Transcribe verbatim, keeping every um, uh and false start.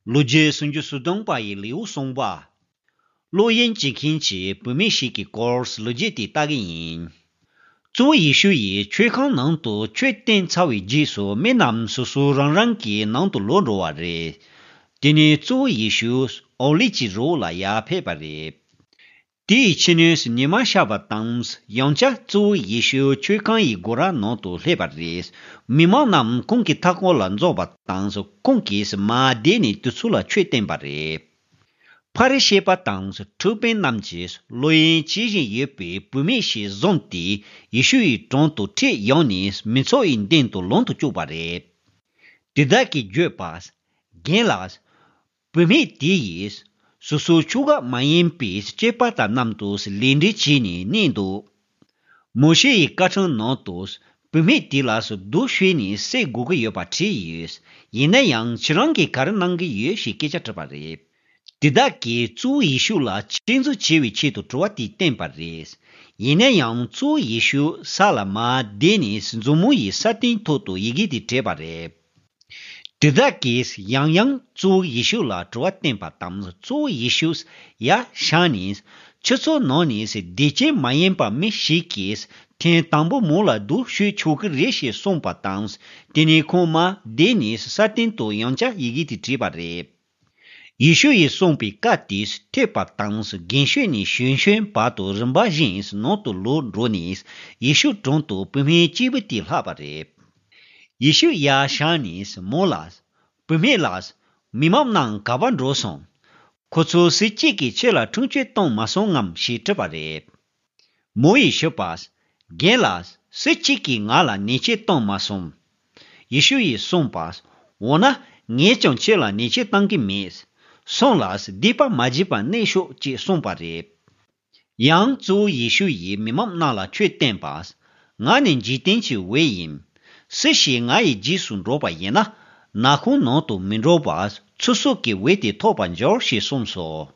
ལོ་རྒྱུས་སུམ་ཅུ་སོ་བདུན་པ་ཡི་ལེའུ་གསུམ་པ། ལོ་གཡན་བྱེད་མཁན་གྱི་བུད་མེད་ཞིག་གི་སྐོར་ལོ་རྒྱུས་དེ་ལྟ་གི་ཡིན། གཙོ་བོ་ཡེ་ཤུ་ཡིས་མཆོད་ཁང་ནང་དུ་མཆོད་བསྟན་ཚར་བའི་རྗེས་སུ་མི་རྣམས་སོ་སོ་རང་རང་གི་ནང་དུ་ལོག་འགྲོ་བ་རེད། དེ་ནས་གཙོ་བོ་ཡེ་ཤུ་ཨོ་ལི་ཀྱི་རི་བོ་ལ་ཡར་ཕེབས་པ་རེད། དེའི་ཕྱི་ནས་ཉི་མ་ཤར་བ་དང་། ཡང་བསྐྱར་གཙོ་བོ་ཡེ་ཤུ་མཆོད་ཁང་ཡི་སྒོ་ར་ནང་དུ་སླེབས་པ་རེད། མི་མང་རྣམས་ཁོང་གི་མཐའ་འཁོར་ལ་འཛོམས་པ་དང་། ཁོང་གིས་མར་བསྡད་ནས་དེ་ཚོ་ལ་ཆོས་བསྟན་པ་རེད། ཕ་རི་ཤི་པ་དང་ཁྲིམས་དཔོན་རྣམས་ཀྱིས་ལོ་གཡན་བྱེད་བཞིན་ཡོད་པའི་བུད་མེད་ཞིག་བཟུང་སྟེ་ཡེ་ཤུ་ཡི་དྲུང་དུ་ཁྲིད་ཡོང་ནས་མི་ཚོགས་ཡི་མདུན་དུ་ལོང་དུ་བཅུག་པ་རེད། དེ་དག་གིས་བརྗོད་པ། རྒན་ལགས། བུད་མེད་དེ་ཡིས་སོ་སོའི་ཁྱོ་ག་མ་ཡིན་པའི་སྐྱེས་པ་དང་མཉམ་དུ་ལུས་འབྲེལ་བྱས་ནས་གནས་འདུག་མོ་ཤེ་ཡི་བཀའ་ཁྲིམས་ནང་དུ་བུད་མེད་དེ་ལ་སྡུག་ཤོས་ནས་བསད་དགོས་ཀྱི་ཡོད་པ་བྲིས་ཡོད། ཡིན་ན་ཡང་ཁྱེད་རང་གིས་ག་རེ་གནང་གི་ཡོད་ཞེས་སྐད་ཆ་དྲིས་པ་རེད། དེ་དག་གིས་གཙོ་བོ་ཡེ་ཤུ་ལ་གཅིག་མཚུངས་བྱེད་པའི་ཆེད་དུ་དྲི་བ་དེ་བསྟན་པ་རེད། ཡིན་ན་ཡང་གཙོ་བོ་ཡེ་ཤུ་ས་ལ་མར་བསྡད་ནས་མཛུབ་མོ་ཡི་ས་སྟེང་ཐོག་ཏུ་ཡི་གེ་དེ་བྲིས་པ་རེད། དེ་དག་གིས་ཡང་ཡང་གཙོ་བོ་ཡེ་ཤུ་ལ་དྲི་བ་བསྟན་པ་དང་། གཙོ་བོ་ཡེ་ཤུས་ཡར་བཞེངས་ནས་ཁྱེད་ཚོའི་ནང་ནས་བདེ་སྐྱིད་མ་ཡིན་པ་མི་ཞིག་གིས་ཐེངས་དང་པོ་མོ་ལ་སྡུག་ཤོས་ཆོག་གི་རེད་ཞེས་གསུངས་པ་དང་། དེ་ནས་ཁོང་མར་བསྡད་ནས་ས་སྟེང་དུ་ཡང་བསྐྱར་ཡི་གེ་དེ་བྲིས་པ་རེད། ཡེ་ཤུ་ཡིས་གསུངས་པའི་བཀའ་དེ་ཐོས་པ་དང་། རྒན་ཤོས་ནས་གཞོན་ཤོས་བར་དུ་རིམ་པ་བཞིན་ནང་དུ་ལོག་འགྲོ་ནས་ཡེ་ཤུ་དྲུང་དུ་བུད་མེད་གཅིག་པུ་དེ་ལྷག་པ་རེད། ཡེ་ཤུ་ཡར་བཞེངས་ནས་མོ་ལ། བུད་མེད་ལགས། མི་མང་རྣམས་ག་པར་འགྲོ་སོང་། ཁོ་ཚོ་སུ་གཅིག་གིས་ཁྱེད་ལ་ཁྲིམས་གཅོད་བཏང་མ་སོང་ངམ་ཞེས་དྲིས་པ་རེད། མོ་ཡིས་ཞུས་པ། རྒན་ལགས། སུ་གཅིག་གིས་ང་ལ་ཉེས་ཆད་བཏང་མ་སོང་། ཡེ་ཤུ་ཡིས་གསུངས་པ། འོ་ན་ངས་ཀྱང་ཁྱེད་ལ་ཉེས་ཆད་བཏང་གི་མེད། སོང་ལ་སྡིག་པ་མ་བགྱིས་པར་གནས་ཤོག་ཅེས་གསུངས་པ་རེད། ཡང་གཙོ་བོ་ཡེ་ཤུ་ཡིས་མི་མང་རྣམས་ལ་ཆོས་བསྟན་པ། ང་ནི་འཇིག་རྟེན་གྱི་འོད་ཡིན། སུ་ཞིག་ང་ཡི་རྗེས་སུ་འགྲོ་བ་ཡིན་ན། ནག་ཁུང་ནང་དུ་མི་འགྲོ་བར་ཚེ་སྲོག་གི་འོད་དེ་ཐོབ་པར་འགྱུར་ཞེས་གསུངས་སོ།